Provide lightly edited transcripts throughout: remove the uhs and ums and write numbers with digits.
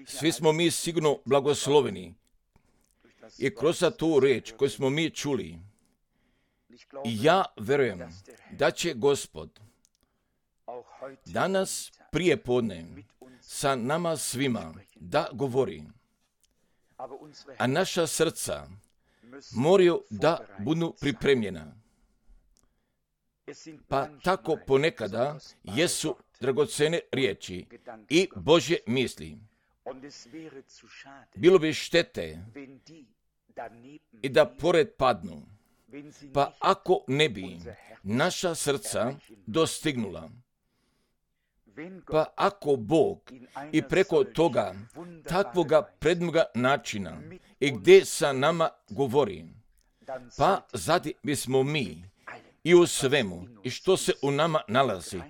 Svi smo mi sigurno blagosloveni i kroz tu riječ koju smo mi čuli. Ja verujem da će Gospod danas prije podne sa nama svima da govori, a naša srca moraju da budu pripremljena. Pa tako ponekada jesu dragocene riječi i Božje misli. Bilo bi štete i da pored padnu, pa ako ne bi naša srca dostignula, pa ako Bog i preko toga takvoga prednoga načina i gdje sa nama govori, pa zadi bismo mi i u svemu i što se u nama nalazi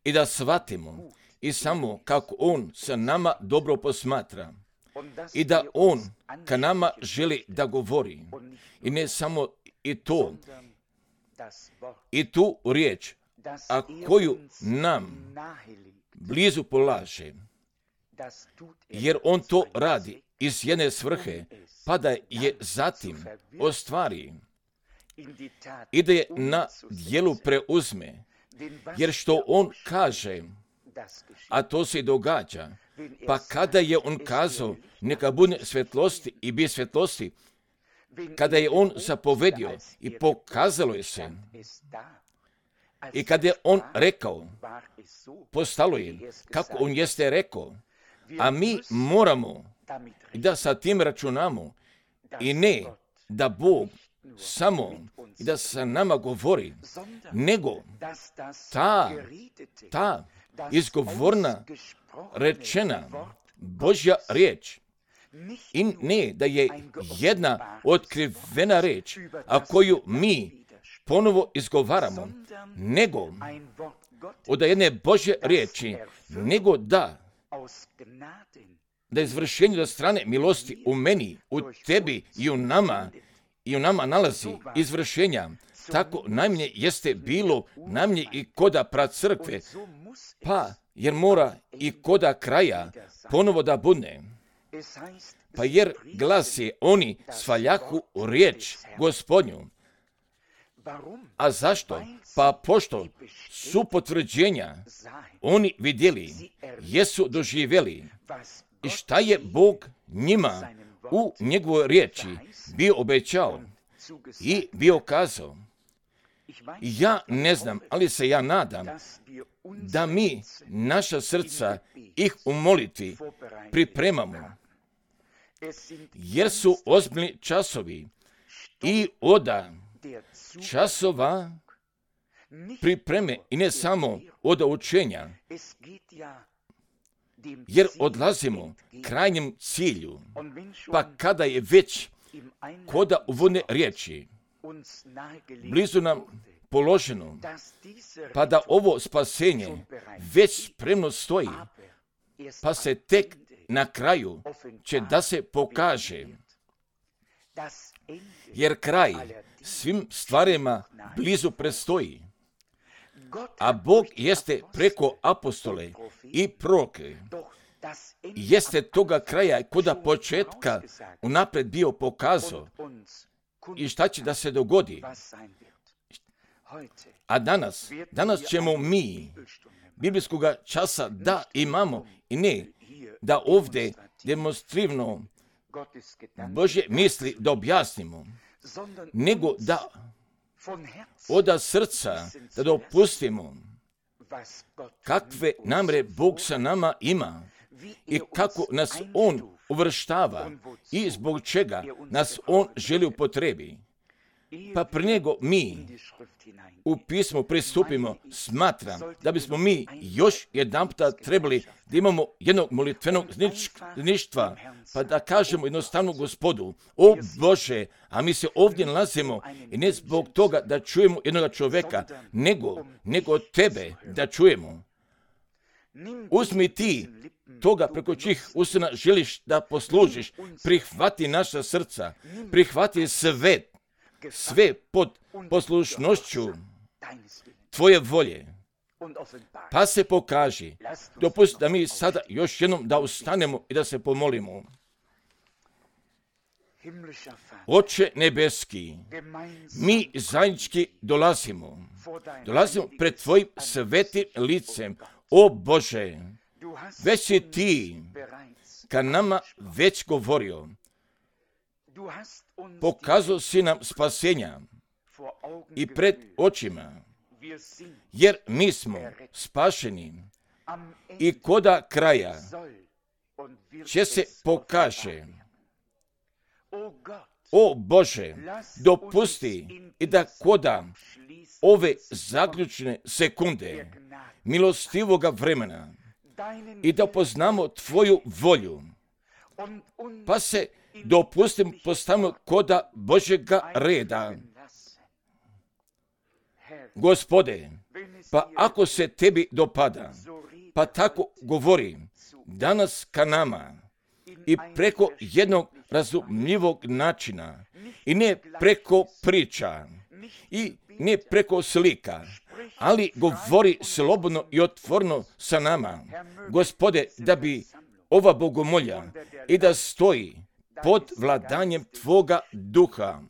i da shvatimo i samo kako On sa nama dobro posmatra i da On ka nama želi da govori i ne samo i to, i tu riječ, a koju nam blizu polaže, jer On to radi iz jedne svrhe, pa da je zatim ostvari i da je na djelu preuzme, jer što On kaže, a to se događa, pa kada je On kazao neka bude svjetlosti i bi svjetlosti, kada je On zapovedio i pokazalo je se, i kada je On rekao, postalo je kako On jeste rekao, a mi moramo da sa tim računamo i ne da Bog samo i da sa nama govori, nego ta izgovorna rečena Božja riječ i ne da je jedna otkrivena riječ, a koju mi ponovo izgovaramo, nego od jedne Božje riječi, nego da izvršenje od strane milosti u meni, u tebi i u nama nalazi izvršenja. Tako najmanje jeste bilo najmanje i koda pracrkve, pa jer mora i koda kraja ponovo da bude. Pa jer glas je oni svaljahu riječ Gospodnju. A zašto? Pa pošto su potvrđenja oni vidjeli, jesu doživjeli i šta je Bog njima u njegovoj riječi bio obećao i bio kazao. Ja ne znam, ali se ja nadam da mi naša srca ih u molitvi pripremamo, jer su ozbiljni časovi i oda časova pripreme i ne samo od učenja, jer odlazimo krajnjem cilju, pa kada je već koda uvodne riječi blizu nam položeno, pa da ovo spasenje već spremno stoji, pa se tek na kraju će da se pokaže, jer kraj svim stvarima blizu predstoji, a Bog jeste preko apostole i proroke, jeste toga kraja koda početka unaprijed bio pokazao i šta će da se dogodi. A danas ćemo mi biblijskog časa da imamo i ne da ovdje demonstrativno Božje misli da objasnimo, nego da od srca da dopustimo kakve namre Bog sa nama ima i kako nas On uvrštava i zbog čega nas On želi upotrebi. Pa prije nego mi u pismo pristupimo, smatram da bismo mi još jedanputa trebali da imamo jednog molitvenog zništva, pa da kažemo jednostavno Gospodu, o Bože, a mi se ovdje nalazimo i ne zbog toga da čujemo jednoga čovjeka, nego tebe da čujemo. Uzmi ti toga preko čih usana želiš da poslužiš, prihvati naša srca, prihvati sve pod poslušnošću tvoje volje, pa se pokaži. Dopusti da mi sada još jednom da ustanemo i da se pomolimo. Oče nebeski, mi zajednički dolazimo pred Tvojim svetim licem. O Bože, već si Ti ka nama već govorio. Pokazao si nam spasenja i pred očima, jer mi smo spašeni i koda kraja će se pokaže. O Bože, dopusti i da koda ove zaključne sekunde milostivoga vremena i da poznamo Tvoju volju, pa se dopustim postavimo koda Božjega reda. Gospode, pa ako se Tebi dopada, pa tako govori danas ka nama i preko jednog razumljivog načina i ne preko priča i ne preko slika, ali govori slobodno i otvorno sa nama. Gospode, da bi ova bogomolja i da stoji pod vladanjem Tvoga duha.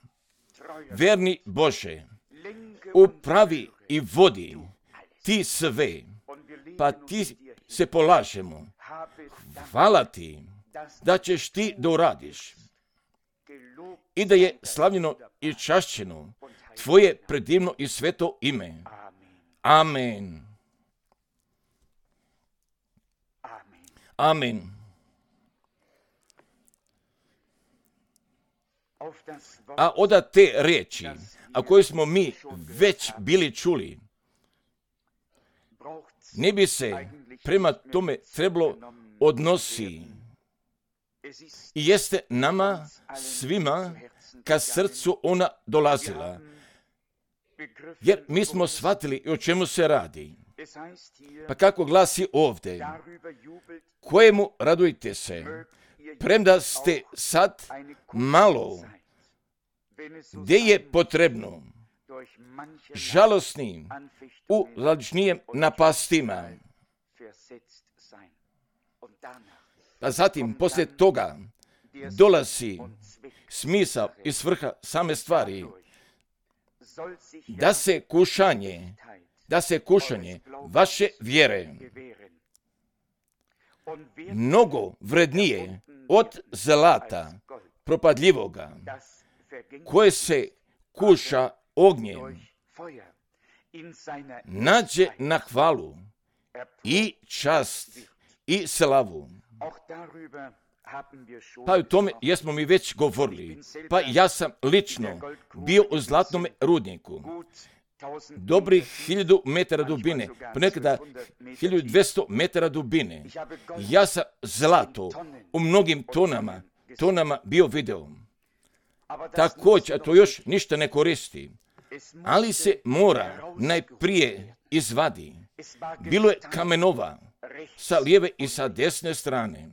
Verni Bože, upravi i vodi Ti sve, pa Ti se polažemo. Hvala Ti da ćeš Ti da uradiš i da je slavljeno i čašćeno Tvoje predivno i sveto ime. Amen. Amen. A od te riječi, a koje smo mi već bili čuli, ne bi se prema tome trebalo odnosi i jeste nama svima ka srcu ona dolazila. Jer mi smo shvatili o čemu se radi. Pa kako glasi ovdje, kojemu radujte se, premda ste sad malo, gdje je potrebno, žalosnim u lažnijem napastima. A zatim, poslije toga, dolazi smisao i svrha same stvari, da se kušanje vaše vjere mnogo vrednije od zlata propadljivoga, koje se kuša ognjem, nađe na hvalu i čast i slavu. Pa o tome jesmo mi već govorili. Pa ja sam lično bio u zlatnom rudniku. Dobrih 1000 metara dubine, ponekada 1200 metara dubine. Ja sam zlato u mnogim tonama bio video. Također, a to još ništa ne koristi, ali se mora najprije izvadi. Bilo je kamenova sa lijeve i sa desne strane.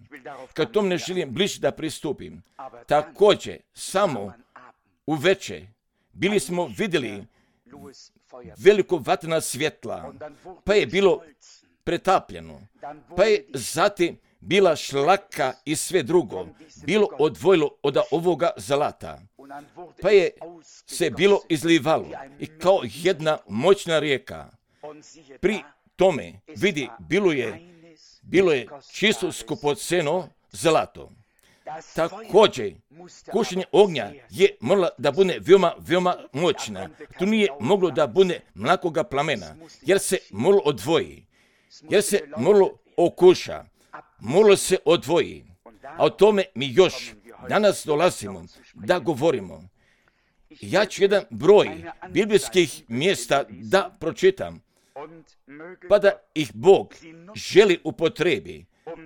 Kad tom ne želim bliže da pristupim. Također, samo uveče bili smo vidjeli veliko vatrena svjetla, pa je bilo pretapljeno, pa je zatim bila šlaka i sve drugo bilo odvojilo od ovoga zlata, pa je se bilo izlivalo i kao jedna moćna rijeka. Pri tome, vidi, bilo je čisto skupoceno zlato. Također, kušenje ognja je morala da bude veoma moćna. Tu nije moglo da bude mlakoga plamena, jer se moralo odvoji, jer se moralo okuša, moralo se odvoji. A o tome mi još danas dolazimo da govorimo. Ja ću jedan broj biblijskih mjesta da pročitam, pa da ih Bog želi upotrebi,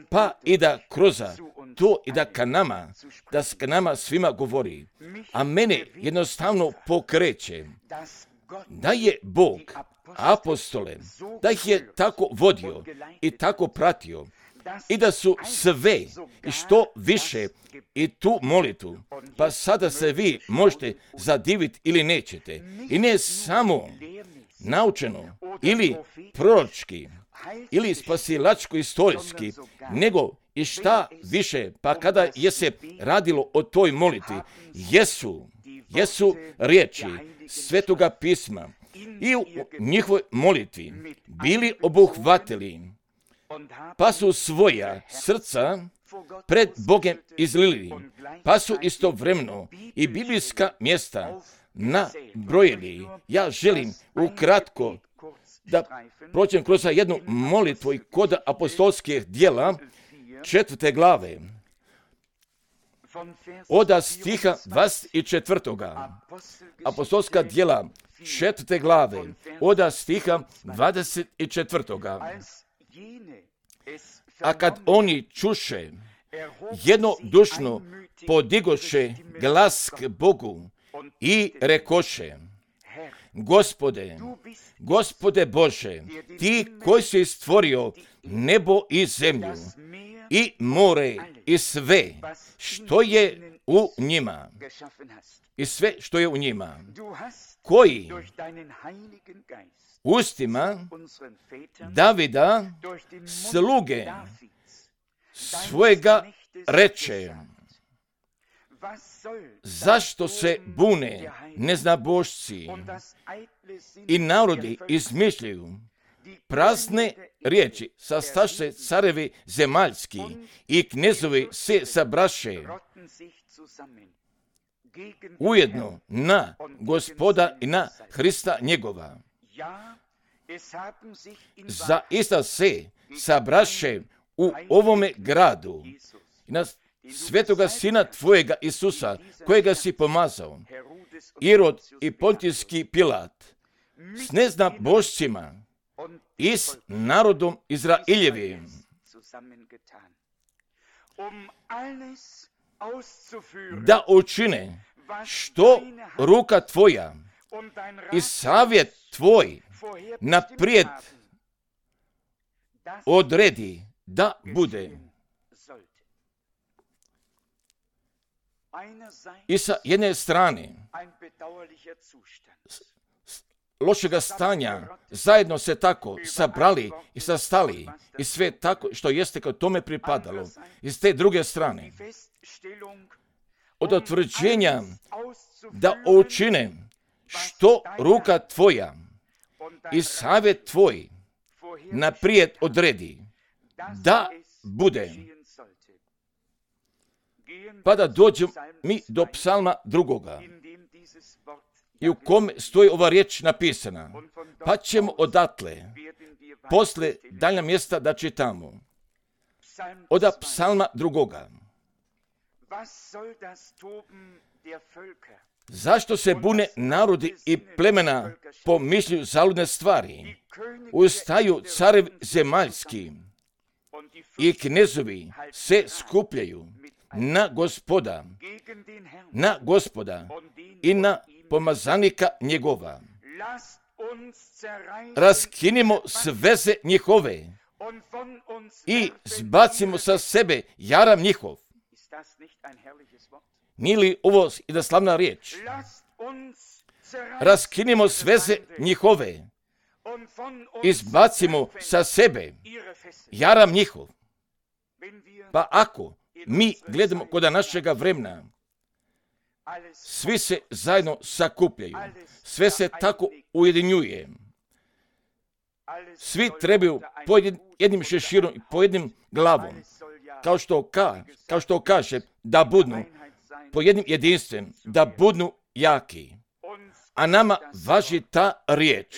pa i da kroz to i da ka nama svima govori. A mene jednostavno pokreće da je Bog apostole, da ih je tako vodio i tako pratio i da su sve i što više i tu molitvu, pa sada se vi možete zadiviti ili nećete. I ne samo naučeno ili proročki ili spasilačko-istorijski, nego i šta više, pa kada je se radilo o toj molitvi, jesu riječi Svetoga pisma i u njihovoj molitvi bili obuhvatili, pa su svoja srca pred Bogom izlili, pa su istovremeno i biblijska mjesta nabrojili. Ja želim ukratko da prođem kroz jednu molitvu i kod apostolskih djela 4. glave od stiha 24. Apostolska djela 4. glave od stiha 24. A kad oni čuše, jednodušno podigoše glas k Bogu i rekoše: Gospode Bože, ti koji si stvorio nebo i zemlju i more i sve što je u njima, koji ustima Davida, sluge svojega, reče: zašto se bune neznabošci i narodi izmišljaju prazne riječi, sastaše carevi zemaljski i knezovi se sabraše ujedno na Gospoda i na Hrista njegova. Zaista se sabraše u ovome gradu i na svetoga sina tvojega Isusa, kojega si pomazao, Irod i Pontijski Pilat, s neznabošcima i s narodom Izraeljevim, da učine što ruka tvoja i savjet tvoj naprijed odredi da bude. I sa jedne strane lošega stanja zajedno se tako sabrali i sastali i sve tako što jeste kao tome pripadalo. I s te druge strane od utvrđenja da učine što ruka tvoja i savjet tvoj naprijed odredi da bude. Pa da dođemo mi do psalma 2. i u kome stoji ova riječ napisana. Pa ćemo odatle posle dalja mjesta da čitamo. Od psalma 2. Zašto se bune narodi i plemena pomišljuju zaludne stvari? Ustaju carevi zemaljski i knezovi se skupljaju na Gospoda i na pomazanika njegova. Raskinimo sveze njihove i zbacimo sa sebe jaram njihov. Nije li ovo jedna slavna riječ? Raskinimo sveze njihove i zbacimo sa sebe jaram njihov. Pa ako mi gledamo kod našega vremena, svi se zajedno sakupljaju, sve se tako ujedinjuje. Svi trebaju po jednim šeširom i po jednim glavom, kao što kaže, da budnu po jednim jedinstven, da budnu jaki. A nama važi ta riječ.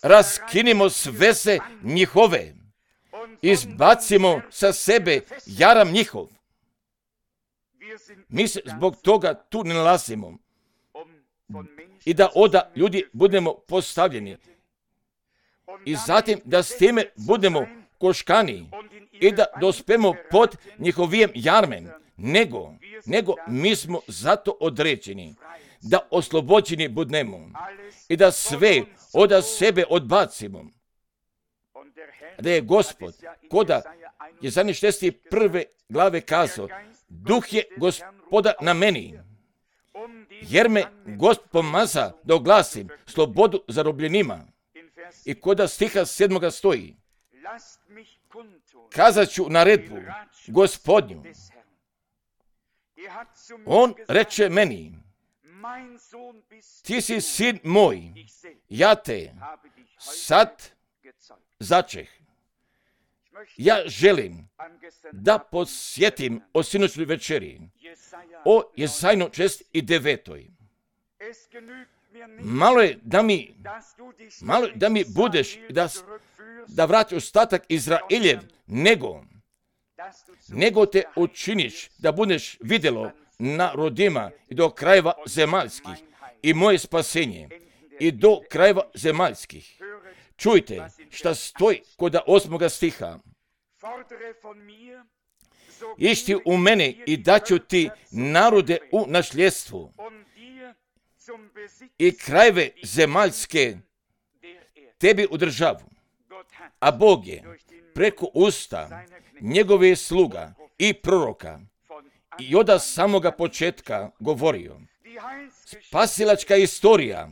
Raskinimo sveze njihove, izbacimo sa sebe jaram njihov. Mi se zbog toga tu ne nalazimo. I da onda ljudi budemo postavljeni. I zatim da s time budemo koškani i da dospemo pod njihovim jarmem. Nego mi smo zato određeni da oslobođeni budemo i da sve od sebe odbacimo. Da je Gospod, koda je za 61. glave kazao, Duh je Gospoda na meni jer me Gospod pomaza da oglasim slobodu zarobljenima. I kod stiha 7. stoji, kazat ću naredbu Gospodnju. On reče meni, ti si sin moj, ja te sad začeh. Ja želim da podsjetim o sinoćnoj večeri, o Jesajno 69. Malo je da mi budeš, da vrati ostatak Izraeljev, nego te učiniš da budeš vidjelo narodima i do krajeva zemaljskih i moje spasenje i do krajeva zemaljskih. Čujte šta stoji kod 8. stiha. Išti u mene i daću ti narode u nasljedstvu i krajeve zemaljske tebi u državu. A Bog je preko usta njegove sluga i proroka i od samoga početka govorio. Spasilačka istorija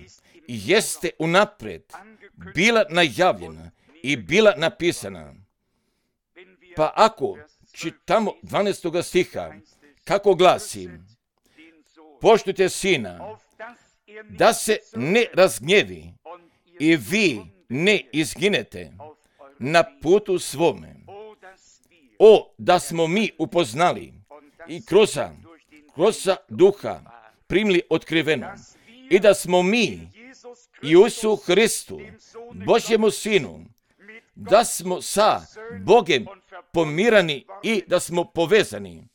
jeste unaprijed bila najavljena i bila napisana. Pa ako čitamo 12. stiha, kako glasi, poštujte sina, da se ne razgnjevi i vi ne izginete na putu svome. O, da smo mi upoznali i kroz duha primili otkriveno i da smo mi Isusu Hristu, Božjemu Sinu, da smo sa Bogem pomirani i da smo povezani,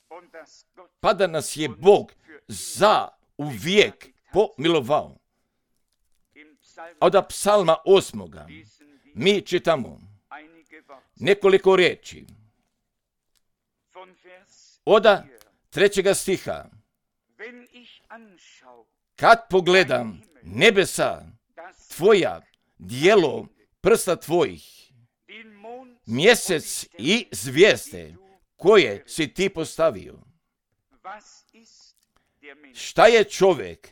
pa da nas je Bog za uvijek pomilovao. Od psalma 8. mi čitamo nekoliko riječi. Od 3. stiha. Kad pogledam nebesa tvoja, dijelo prsta tvojih, mjesec i zvijezde koje si ti postavio. Šta je čovjek?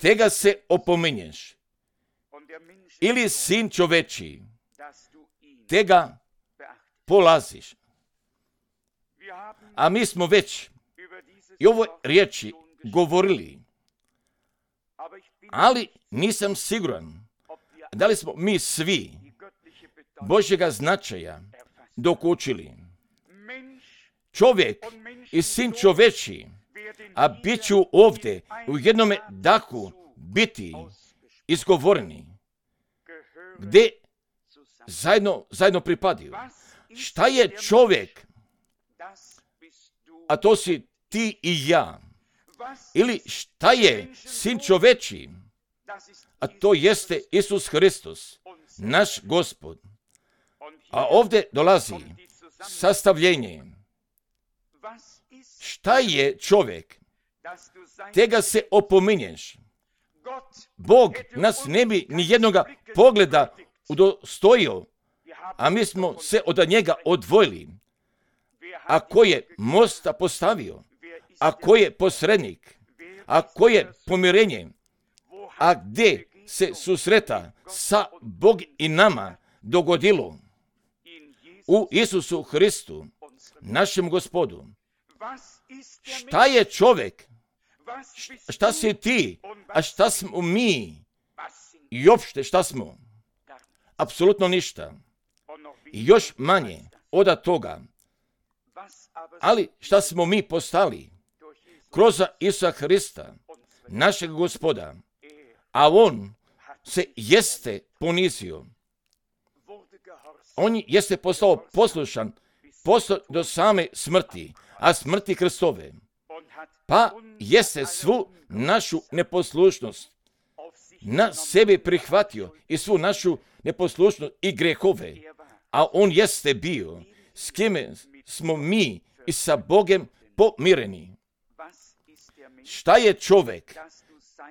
Tega se opominješ. Ili sin čoveči, tega polaziš. A mi smo već i ovoj riječi govorili, ali nisam siguran da li smo mi svi Božjega značaja dokučili. Čovjek i sin čoveči, a bit ću ovdje u jednome dahu biti izgovoreni, gdje zajedno pripadaju. Šta je čovjek? A to si ti i ja. Ili šta je sin čoveči? A to jeste Isus Hristos, naš Gospod. A ovdje dolazi sastavljenje. Šta je čovjek? Tega se opominješ. Bog nas ne bi ni jednoga pogleda udostojio, a mi smo se od njega odvojili. A ko je mosta postavio? A ko je posrednik? A ko je pomirenje? A gdje se susreta sa Bog i nama dogodilo? U Isusu Hristu, našem Gospodu. Šta je čovjek? Šta si ti? A šta smo mi? I uopšte šta smo? Apsolutno ništa. I još manje od toga. Ali šta smo mi postali? Kroz Isusa Hrista, našeg Gospoda. A on se jeste ponizio. On jeste postao poslušan do same smrti, a smrti Hristove. Pa jeste svu našu neposlušnost na sebi prihvatio i svu našu neposlušnost i grehove. A on jeste bio s kime smo mi i sa Bogem pomireni. Šta je čovjek?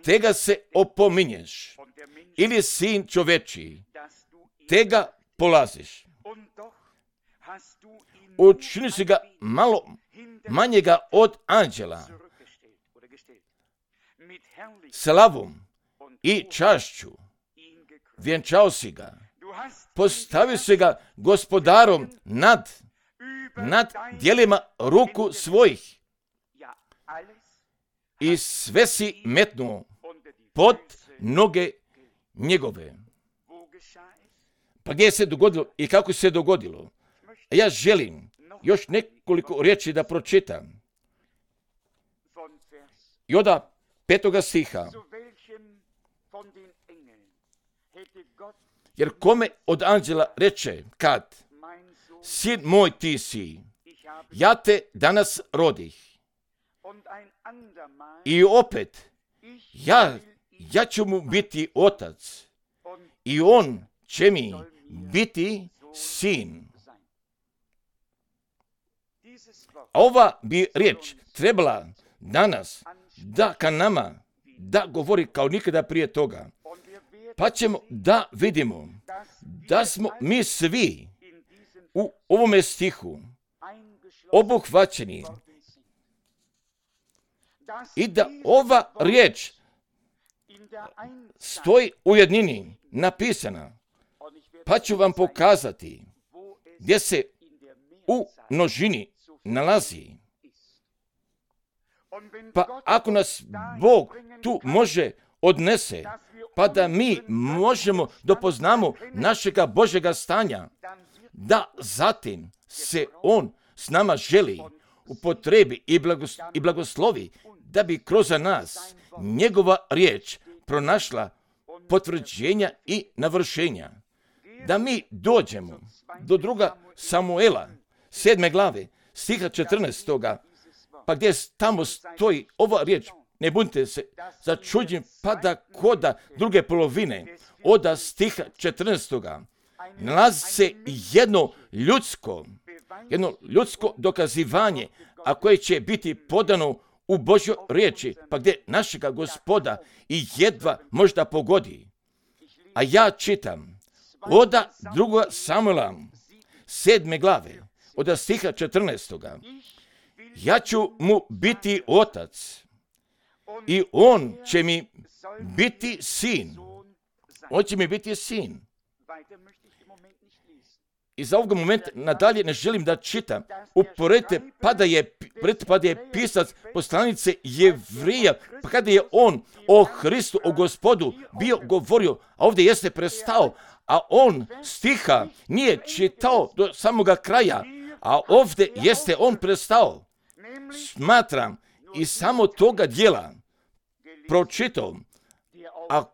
Tega se opominješ. Ili sin čoveči, tega polaziš. Učini si ga malo manjega od anđela. slavom i čašću vjenčao si ga, postavio si ga gospodarom nad djelima ruku svojih i sve si metnuo pod noge njegove. Pa gdje se dogodilo i kako se dogodilo? Ja želim još nekoliko riječi da pročitam. I od 5. stiha. Jer kome od anđela reče kad, sin moj ti si, ja te danas rodih. I opet, ja ću mu biti otac i on će mi biti sin. A ova bi riječ trebala danas da ka nama da govori kao nikada prije toga. Pa ćemo da vidimo da smo mi svi u ovome stihu obuhvaćeni i da ova riječ stoji u jednini napisana. Pa ću vam pokazati gdje se u množini nalazi. Pa ako nas Bog tu može odnese, pa da mi možemo dopoznamo našega Božjega stanja, da zatim se On s nama želi upotrebi i blagoslovi, da bi kroz nas njegova riječ pronašla potvrđenja i navršenja. Da mi dođemo do 2. Samuela, 7. glave, stiha 14. Pa gdje tamo stoji ova riječ, ne budite se začuđeni, pa da koda druge polovine od stiha 14. nalazi se jedno ljudsko dokazivanje, a koje će biti podano u Božjoj riječi, pa gdje našega Gospoda i jedva možda pogodi. A ja čitam od 2. Samuela 7. glave, od stiha 14. Ja ću mu biti otac i on će mi biti sin. On će mi biti sin. I za ovog momenta nadalje ne želim da čitam. Uporedite pa da je pisac poslanice Jevrija, pa kada je on o Hristu, o Gospodu bio govorio, a ovdje jeste prestao, a on stiha nije čitao do samoga kraja, a ovdje jeste on prestao. Smatram i samo toga dijela pročitao, a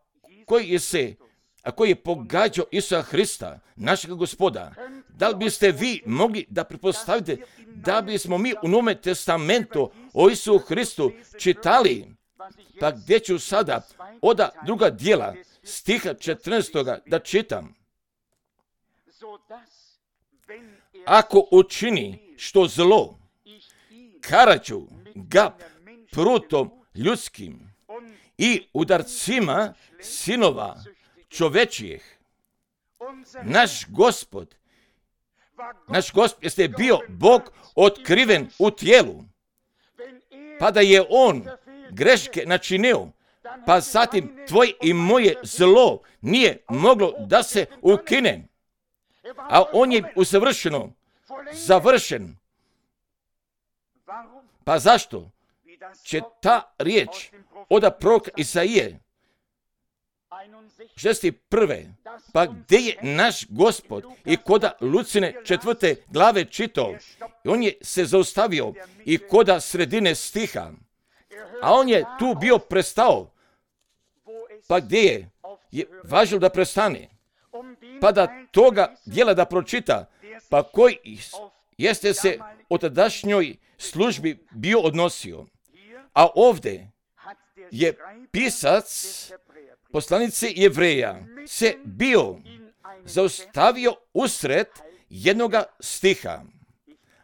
koji je pogađao Isusa Hrista, našega Gospoda. Da li biste vi mogli da pretpostavite da bismo mi u Novome testamentu o Isusu Hristu čitali? Pa gdje ću sada od 2. dijela stiha 14. da čitam? Ako učini što zlo, karaću ga prutom ljudskim i udarcima sinova čovečijih. Naš Gospod jeste bio Bog otkriven u tijelu, pa da je on greške načinio, pa zatim tvoje i moje zlo nije moglo da se ukine, a on je usavršeno završen. Pa zašto će ta riječ od proroka Isaije 61. pa gdje je naš Gospod i koda Lucine 4. glave čitao, on je se zaustavio i koda sredine stiha, a on je tu bio prestao, pa gdje je važilo da prestane, pa da toga dijela da pročita, pa koji jeste se o tadašnjoj službi bio odnosio. A ovdje je pisac poslanice Jevreja se bio zaustavio usred jednoga stiha.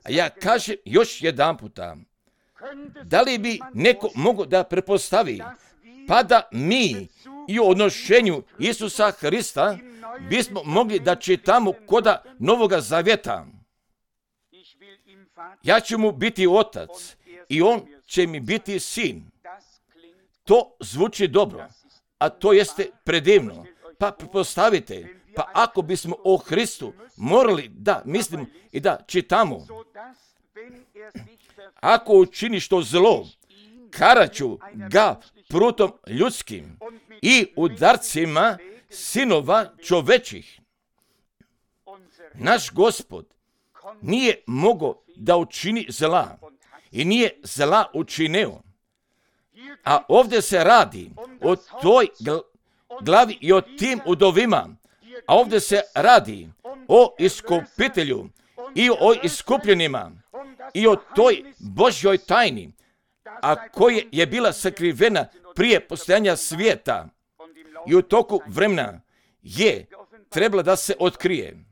A ja kažem još jedan puta, da li bi neko mogao da prepostavi, pa da mi i o odnošenju Isusa Hrista bismo mogli da čitamo koda Novoga Zavjeta. Ja ću mu biti otac i on će mi biti sin. To zvuči dobro, a to jeste predivno. Pa pretpostavite, pa ako bismo o Hristu morali da mislimo i da čitamo, ako učini što zlo, karaću ga prutom ljudskim i udarcima sinova čovečih. Naš Gospod nije mogao da učini zla i nije zla učinio. A ovdje se radi o toj glavi i o tim udovima. A ovdje se radi o iskupitelju i o iskupljenima i o toj Božjoj tajni, a koja je bila sakrivena prije postojanja svijeta i u toku vremena je trebala da se otkrije.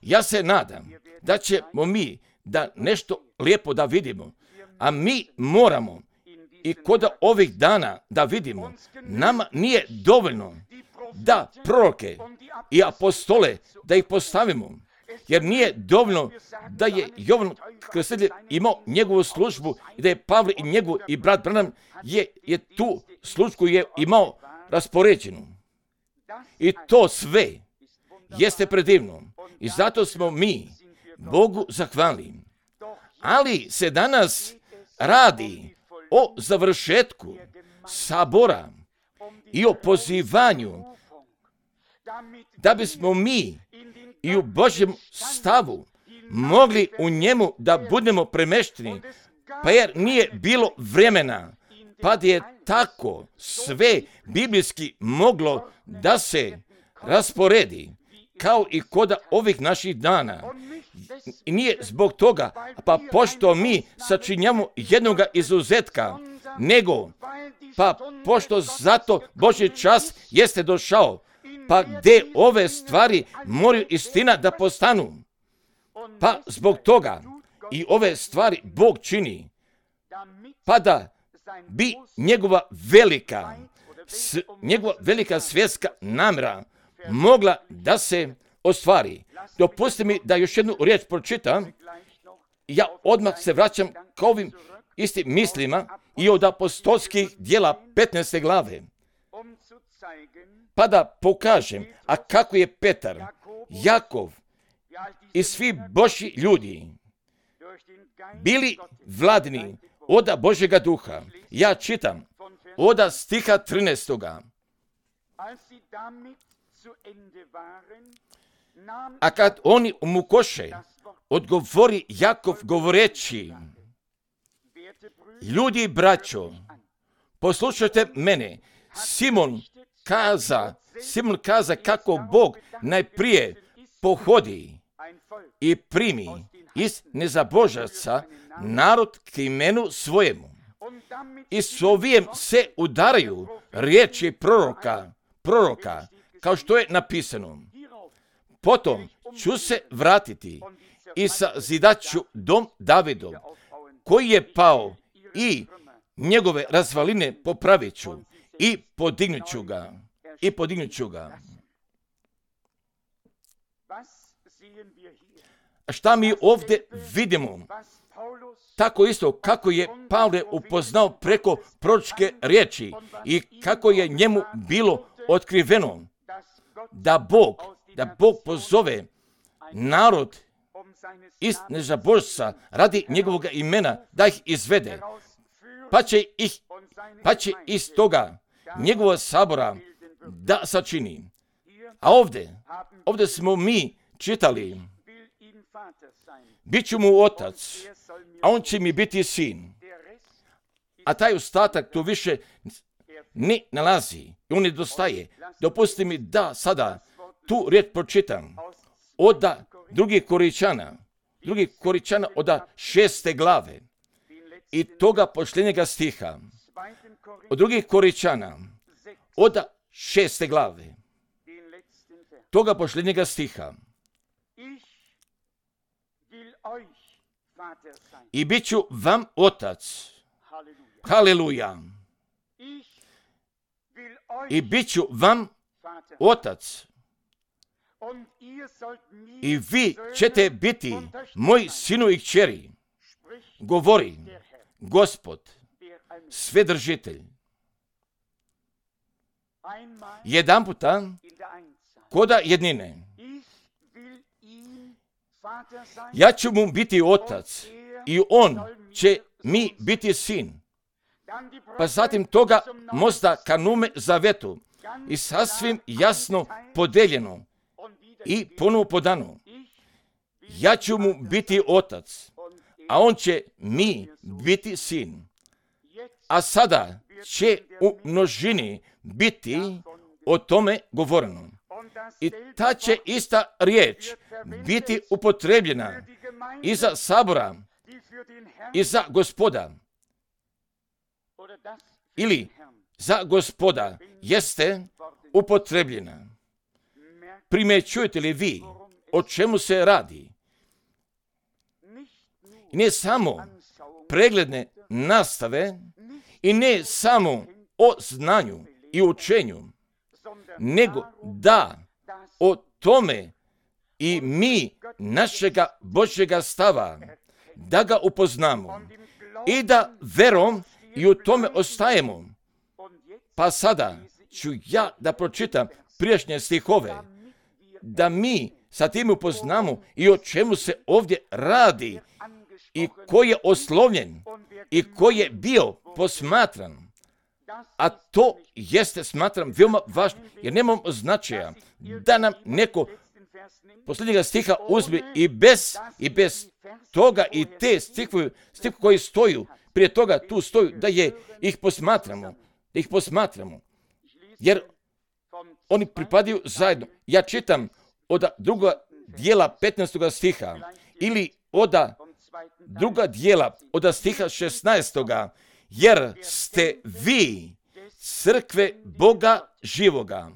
Ja se nadam da ćemo mi da nešto lijepo da vidimo, a mi moramo i kod ovih dana da vidimo, nama nije dovoljno da proroke i apostole da ih postavimo, jer nije dovoljno da je Jovan Krstitelj imao njegovu službu i da je Pavle i njegov i brat Branham je tu službu je imao raspoređenu. I to sve jeste predivno i zato smo mi Bogu zahvalni. Ali se danas radi o završetku sabora i o pozivanju da bismo mi i u Božjem stavu mogli u njemu da budemo premešteni, pa jer nije bilo vremena, pa je tako sve biblijski moglo da se rasporedi, kao i kod ovih naših dana. I nije zbog toga, pa pošto mi sačinjamo jednoga izuzetka, nego, pa pošto zato Božji čas jeste došao, pa gdje ove stvari moraju istina da postanu. Pa zbog toga i ove stvari Bog čini, pa da bi njegova velika svjetska namjera mogla da se ostvari. Dopustite mi da još jednu riječ pročitam. Ja odmah se vraćam k ovim istim mislima i od apostolskih djela 15. glave. Pa da pokažem, a kako je Petar, Jakov i svi Božji ljudi bili vladni oda Božjega duha. Ja čitam oda stiha 13. A kad oni umukoše, odgovori Jakov govoreći: ljudi, braćo, poslušajte mene. Simon kaza kako Bog najprije pohodi i primi iz nezabožaca narod k imenu svojemu. I s ovijem se udaraju riječi proroka, kao što je napisano. Potom ću se vratiti i sazidat ću dom Davidov, koji je pao, i njegove razvaline popravit ću i podignut ću ga. A šta mi ovdje vidimo? Tako isto kako je Pavle upoznao preko proročke riječi i kako je njemu bilo otkriveno da Bog pozove narod iz nezabožca radi njegovog imena da ih izvede, pa će iz toga njegova sabora da sačini. A ovdje smo mi čitali: bit ću mu otac, a on će mi biti sin. A taj ostatak tu više ne nalazi, on nedostaje. Dopustite mi da sada tu riječ pročitam od drugih Koričana od 6. glave i toga posljednjega stiha. Od drugih Koričana od 6. glave toga posljednjega stiha. I bit ću vam otac. Haleluja. I bit ću vam otac. I vi ćete biti moji sinu i kćeri, govori Gospod, Svedržitelj. jedan puta koda jednine. Ja ću mu biti otac i on će mi biti sin. Pa zatim toga mosta ka Nume Zavetu i sasvim jasno podeljeno i ponovo podano. Ja ću mu biti otac, a on će mi biti sin. A sada će u množini biti o tome govoreno. I ta će ista riječ biti upotrebljena i za sabora, i za Gospoda. Ili za Gospoda jeste upotrebljena. Primjećujete li vi o čemu se radi? Ne samo pregledne nastave i ne samo o znanju i učenju, nego da o tome i mi našega Božjega stava, da ga upoznamo i da verom i u tome ostajemo. Pa sada ću ja da pročitam prijašnje stihove, da mi sa tim upoznamo i o čemu se ovdje radi i ko je oslovljen i ko je bio posmatran. A to jeste, smatram, veoma važno, jer nemamo značaja da nam neko posljednjega stiha uzme i bez toga i te stihove koji stoju prije toga tu stoju, da ih posmatramo. Jer oni pripadaju zajedno. Ja čitam od druga dijela 15. stiha ili od druga dijela od stiha 16. Jer ste vi crkve Boga živoga,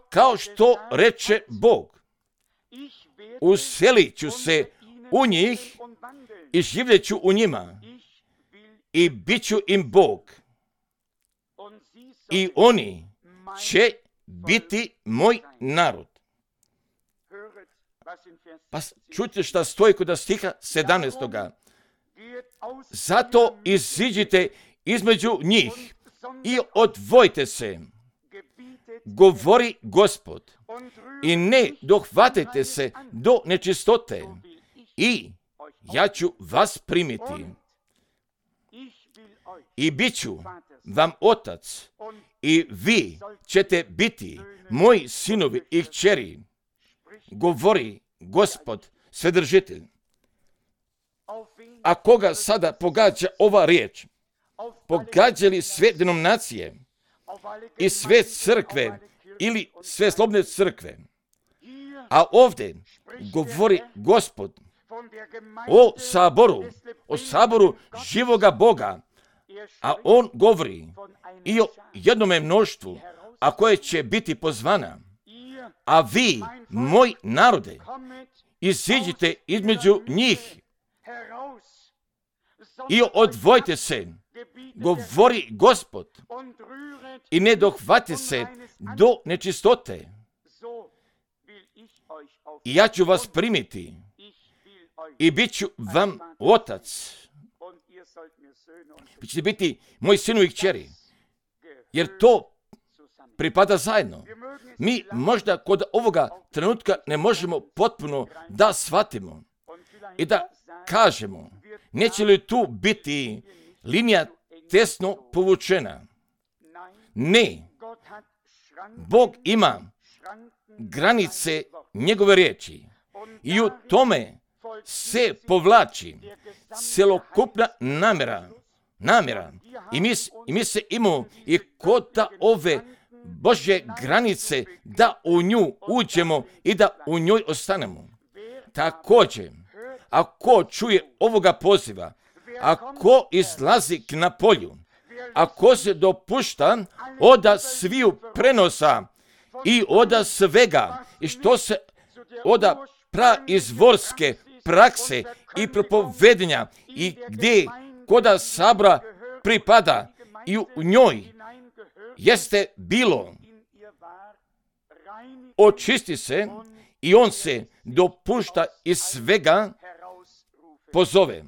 kao što reče Bog. Uselit ću se u njih i živjet ću u njima i bit ću im Bog. I oni će biti moj narod. Pa čujte šta stoji kod stiha 17. Zato iziđite između njih i odvojite se, govori Gospod, i ne dohvatite se do nečistote, i ja ću vas primiti. I bit ću vam otac, i vi ćete biti moji sinovi i kćeri, govori Gospod Svedržitelj. A koga sada pogađa ova riječ? Pogađa li sve denominacije i sve crkve ili sve slobodne crkve? A ovdje govori Gospod o saboru živoga Boga, a on govori i o jednome mnoštvu, a koje će biti pozvana. A vi, moj narode, iziđite između njih i odvojite se, govori Gospod, i ne dohvati se do nečistote. I ja ću vas primiti i bit ću vam otac. Vi ćete biti moji sinovi i kćeri, jer to pripada zajedno. Mi možda kod ovoga trenutka ne možemo potpuno da shvatimo i da kažemo, neće li tu biti linija tesno povučena? Ne. Bog ima granice njegove riječi i u tome se povlači celokupna namjera. I mi se imamo i kod ove Božje granice da u nju uđemo i da u njoj ostanemo. Također, ako čuje ovoga poziva, ako izlazi k na polju, ako se dopušta od sviju prenosa i od svega i što se od praizvorske prakse i propovedenja i gdje koda sabora pripada i u njoj jeste bilo, očisti se i on se dopušta iz svega pozove.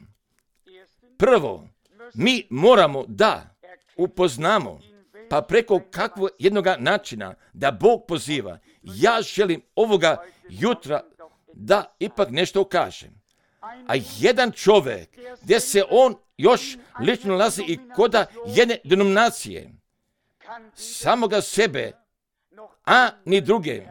Prvo, mi moramo da upoznamo pa preko kakvog jednoga načina da Bog poziva. Ja želim ovoga jutra da ipak nešto kažem. A jedan čovjek, gdje se on još lično nalazi i koda jedne denominacije, samoga sebe, a ni druge,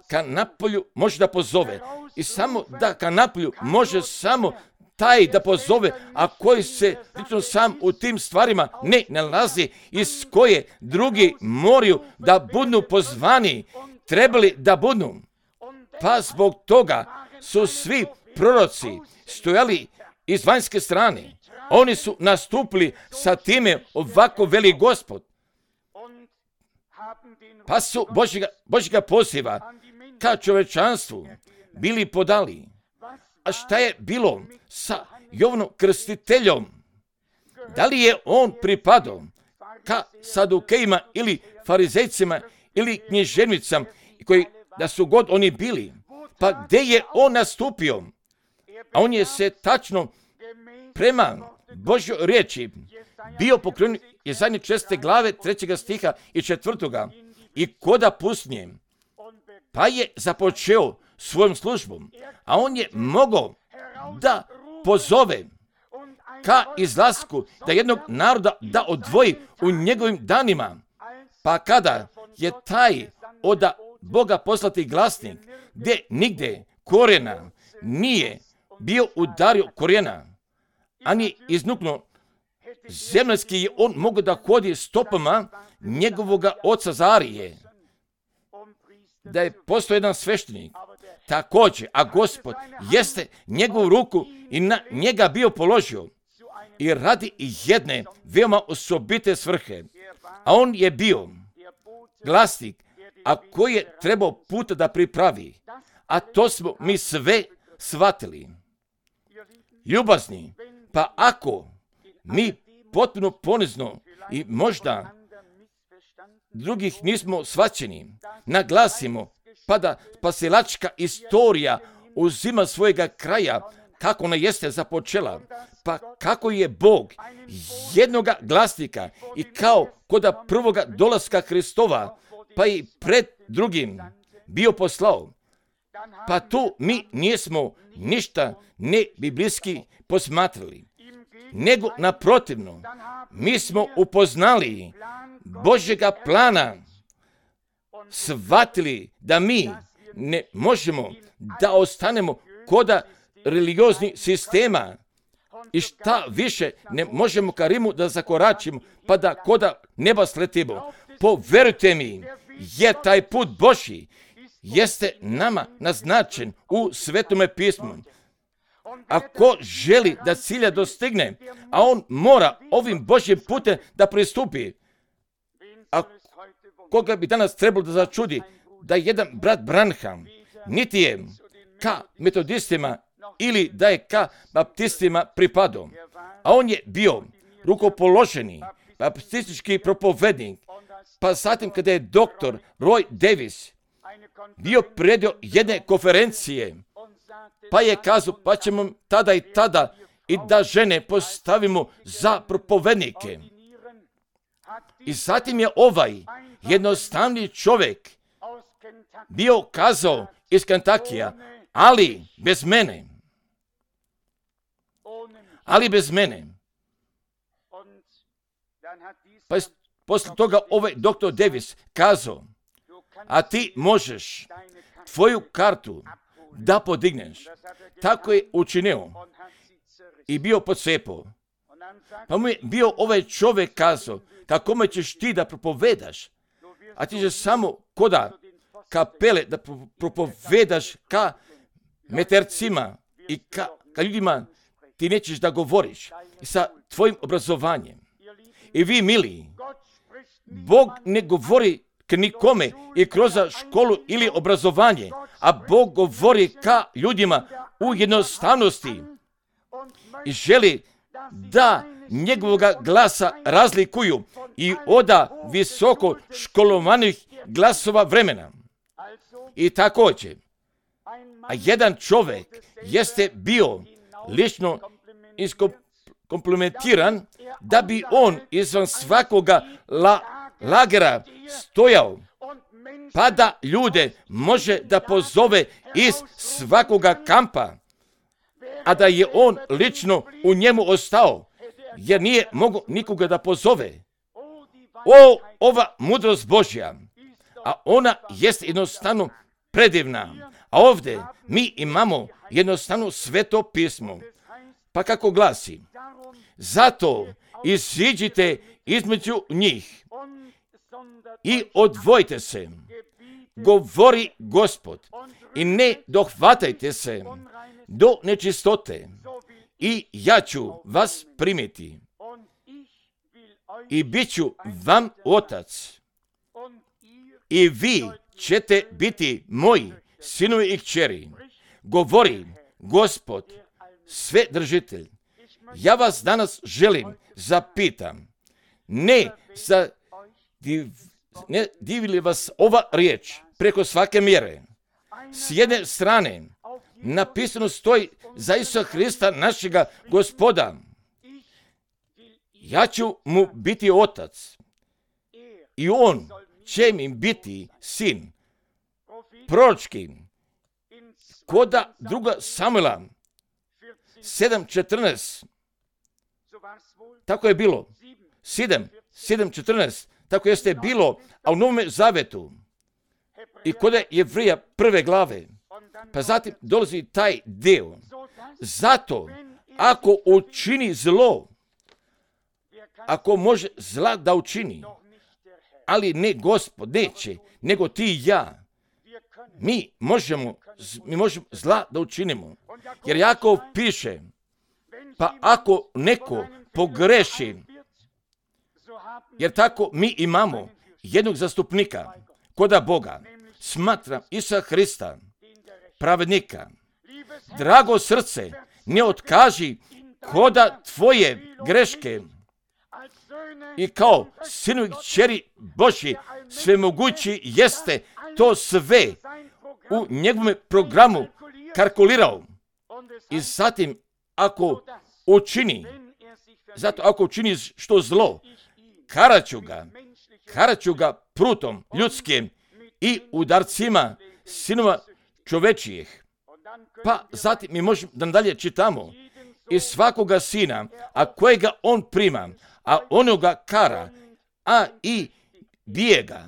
ka napolju može da pozove. I samo da ka napolju može samo taj da pozove, a koji se lično sam u tim stvarima ne nalazi, iz koje drugi moraju da budu pozvani, trebali da budu. Pa zbog toga su svi proroci stojali iz vanjske strane. Oni su nastupili sa time, ovako veli Gospod. Pa su Božjega poziva ka čovečanstvu bili podali. A šta je bilo sa Jovanom Krstiteljom? Da li je on pripadao ka Sadukejima ili Farizejcima ili književnicama, koji da su god oni bili? Pa gdje je on nastupio? A on je se tačno prema Božjoj riječi bio pokrenut iz zadnje 6. glave 3. stiha i 4. i koda pustinje. Pa je započeo svojom službom, a on je mogao da pozove ka izlasku, da jednog naroda da odvoji u njegovim danima. Pa kada je taj od Boga poslati glasnik, gdje nigde korijena nije bio udario korijena, ani iznuknuo zemljski, je on mogao da hodi stopama njegovoga oca Zarije, da je postao jedan sveštenik. Također, a Gospod jeste njegovu ruku i na njega bio položio i radi jedne veoma osobite svrhe. A on je bio glasnik, a koji je trebao puta da pripravi. A to smo mi sve shvatili. Ljubazni, pa ako mi potpuno ponizno i možda drugih nismo shvaćeni, naglasimo, pa da spasilačka istorija uzima svojega kraja, kako ona jeste započela, pa kako je Bog jednoga glasnika i kao koda prvoga dolaska Hristova, pa i pred drugim bio poslao. Pa tu mi nismo ništa ne biblijski posmatrali, nego naprotivno, mi smo upoznali Božjega plana, shvatili da mi ne možemo da ostanemo koda religioznih sistema i šta više ne možemo ka Rimu da zakoračimo, pa da koda neba sletimo. Poverujte mi, je taj put Božji jeste nama naznačen u Svetome pismu. Ako želi da cilja dostigne, a on mora ovim Božjim putem da pristupi. A koga bi danas trebalo da začudi da jedan brat Branham niti je ka metodistima ili da je ka baptistima pripadao, a on je bio rukopoloženi baptistički propovednik, pa zatim kada je doktor Roy Davis bio predio jedne konferencije, pa je kazao, pa ćemo tada i tada i da žene postavimo za propovednike. I zatim je ovaj jednostavni čovjek bio kazao iz Kentakija, ali bez mene. Pa je poslije toga ovaj doktor Davis kazao, a ti možeš tvoju kartu da podigneš. Tako je učinio i bio podsepao. Pa mu je bio ovaj čovjek kazao, kako ćeš ti da propovedaš, a ti ćeš samo koda kapele da propovedaš ka metercima i ka ljudima, ti nećeš da govoriš sa tvojim obrazovanjem. I vi, mili, Bog ne govori k nikome i kroz školu ili obrazovanje, a Bog govori ka ljudima u jednostavnosti i želi da njegovoga glasa razlikuju i oda visoko školovanih glasova vremena. I također, a jedan čovjek jeste bio lično iskomplementiran da bi on izvan svakoga lagera stojao, pa da ljude može da pozove iz svakoga kampa, a da je on lično u njemu ostao, jer nije mogao nikoga da pozove. Ova mudrost Božja, a ona jest jednostavno predivna. A ovdje mi imamo jednostavno Sveto pismo. Pa kako glasi? Zato iziđite između njih i odvojite se, govori Gospod, i ne dohvatajte se do nečistote, i ja ću vas primiti i bit ću vam otac, i vi ćete biti moji sinovi i kćeri, govori Gospod, Svedržitelj. Ja vas danas želim zapitam, ne divi li vas ova riječ preko svake mjere? S jedne strane napisano stoji za Isusa Hrista, našega Gospoda. Ja ću mu biti otac i on će mi biti sin. Proročki, koda 2. Samuela 7.14, tako je bilo. 7.14, tako jeste bilo, a u Novome Zavetu i kod Jevrija 1. glave. Pa zatim dolazi taj dio. Zato, ako učini zlo, ako može zla da učini, ali ne Gospod, neće, nego ti i ja, mi možemo zla da učinimo. Jer Jakov piše, pa ako neko pogreši, jer tako mi imamo jednog zastupnika koda Boga, smatram Isusa Hrista, pravednika. Drago srce, ne otkaži koda tvoje greške i kao sinovi kćeri Božji svemogući jeste to sve u njegovom programu kalkulirao. I zatim ako učini što zlo, karaću ga prutom ljudskim i udarcima sinova čovečijih. Pa zatim mi možemo da dalje čitamo. I svakoga sina, a kojega on prima, a onoga kara, a i bije ga.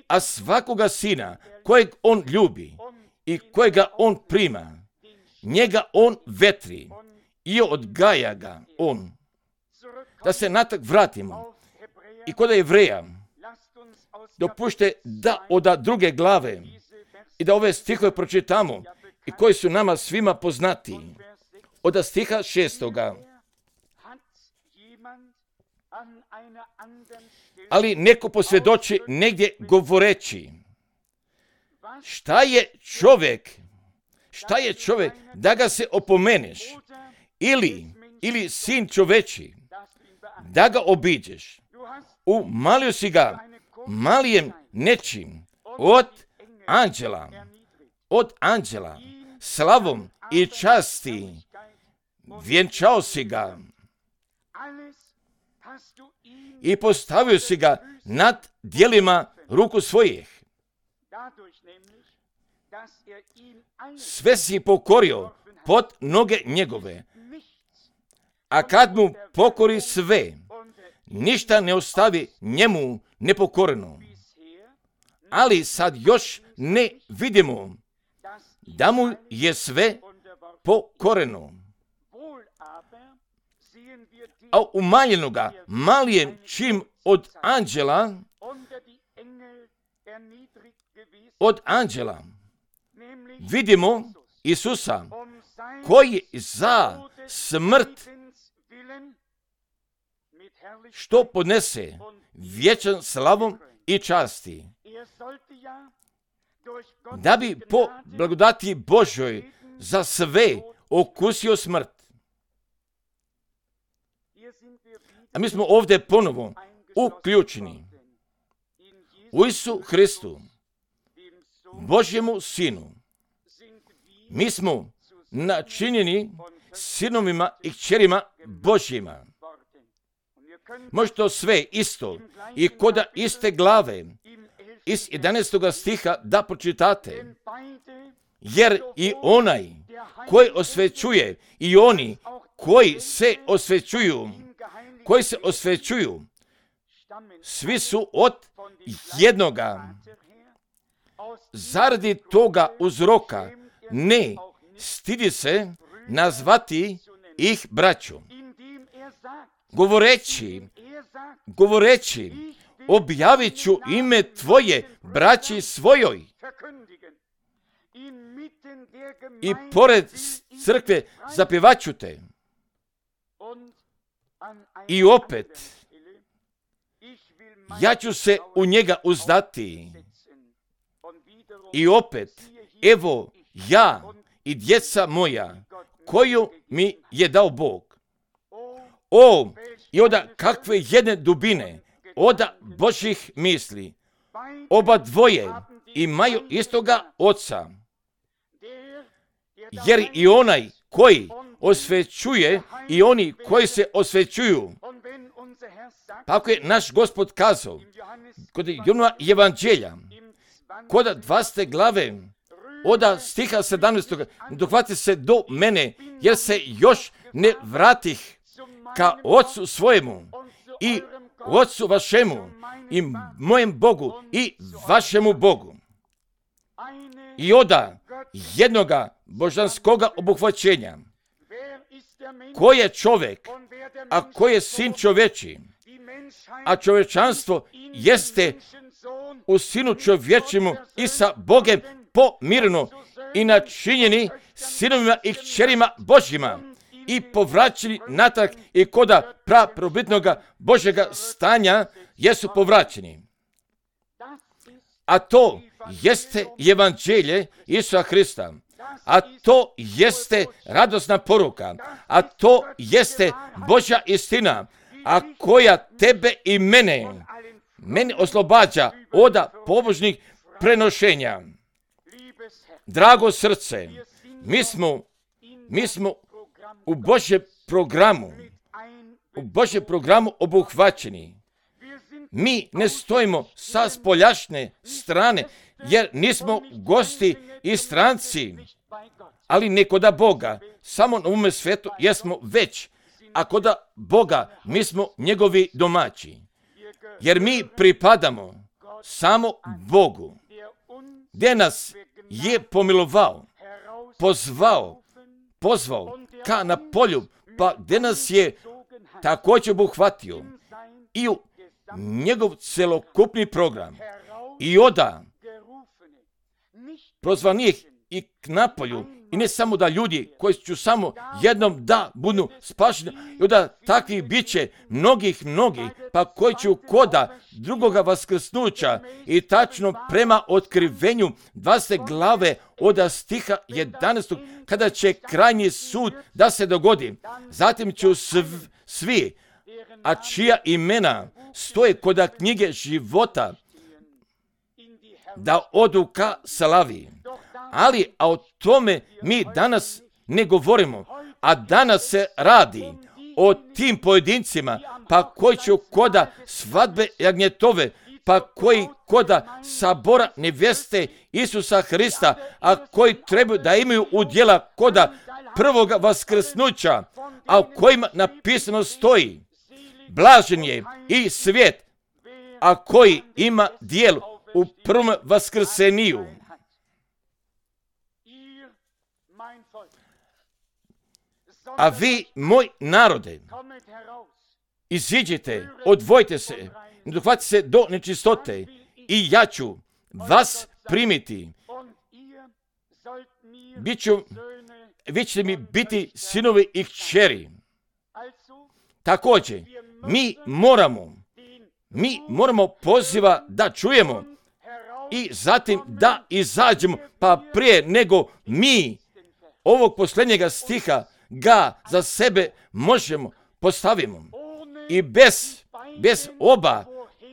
A svakoga sina, kojeg on ljubi i kojega on prima, njega on vetri i odgaja ga on. Da se natak vratimo. I kod Jevreja, dopušte da od 2. glave i da ove stihove pročitamo i koji su nama svima poznati. Od stiha 6. Ali neko posvjedoči negdje govoreći, šta je čovjek da ga se opomeneš, ili sin čoveči da ga obiđeš. Umalio si ga malijem nečim od anđela, slavom i časti, vjenčao si ga i postavio si ga nad djelima ruku svojih. Sve si pokorio pod noge njegove, a kad mu pokori sve, ništa ne ostavi njemu nepokoreno. Ali sad još ne vidimo da mu je sve pokoreno. A umanjenoga malijem čim od anđela vidimo Isusa koji za smrt što podnese vječan slavom i časti, da bi po blagodati Božoj za sve okusio smrt. A mi smo ovdje ponovo uključeni u Isusu Hristu, Božjemu Sinu. Mi smo načinjeni sinovima i kćerima Božjima. Može to sve isto i koda iste glave iz 11. stiha da pročitate. Jer i onaj koji osvećuje i oni koji se osvećuju, svi su od jednoga. Zaradi toga uzroka ne stidi se nazvati ih braćom. Govoreći, objavit ću ime tvoje braći svojoj. I pored crkve zapjevat ću te. I opet, ja ću se u njega uzdati. I opet, evo ja i djeca moja, koju mi je dao Bog. O, i oda kakve jedne dubine, oda Božjih misli. Oba dvoje imaju istoga oca. Jer i onaj koji osvećuje i oni koji se osvećuju. Pa ako je naš Gospod kazao, kod Johanova evanđelja, kod 20. glave, od stiha 17. dohvati se do mene, jer se još ne vratih ka Otcu svojemu i Otcu vašemu i mojem Bogu i vašemu Bogu. I oda jednoga božanskoga obuhvaćenja. Ko je čovjek, a ko je sin čovječi? A čovječanstvo jeste u sinu čovječemu i sa Bogem pomireno i načinjeni sinovima i kćerima Božjima i povraćeni natrag i koda praprobitnoga Božjega stanja jesu povraćeni. A to jeste evanđelje Isusa Hrista. A to jeste radosna poruka. A to jeste Božja istina. A koja tebe i mene oslobađa od pobožnih prenošenja. Drago srce, mi smo u Božjem programu obuhvaćeni. Mi ne stojimo sa spoljašnje strane, jer nismo gosti i stranci, ali ne koda Boga. Samo na ovome svijetu jesmo već, a koda Boga mi smo njegovi domaći. Jer mi pripadamo samo Bogu, gdje nas je pomilovao, pozvao ka na polju, pa gdje nas je također obuhvatio i u njegov celokupni program. I oda prozvanih i k napolju, i ne samo da ljudi koji će samo jednom da budu spašeni, i oda takvih bit će mnogi, pa koji će koda drugoga vaskrsnuća i tačno prema otkrivenju 20. glave od stiha 11. kada će krajnji sud da se dogodi. Zatim će svi, a čija imena stoje koda knjige života, da odu ka slavi. Ali, a o tome mi danas ne govorimo, a danas se radi o tim pojedincima, pa koji će koda svadbe jagnjetove, pa koji koda sabora neveste Isusa Hrista, a koji trebaju da imaju udjela koda prvoga vaskrsnuća, a u kojima napisano stoji: blažen je i svijet, a koji ima dijel u prvom vaskrseniju. A vi, moj narode, iziđite, odvojite se, ne dohvatite se do nečistote i ja ću vas primiti. Vi ćete mi biti sinovi i kćeri. Također, mi moramo poziva da čujemo i zatim da izađemo, pa prije nego mi ovog posljednjega stiha ga za sebe možemo postavimo. I bez oba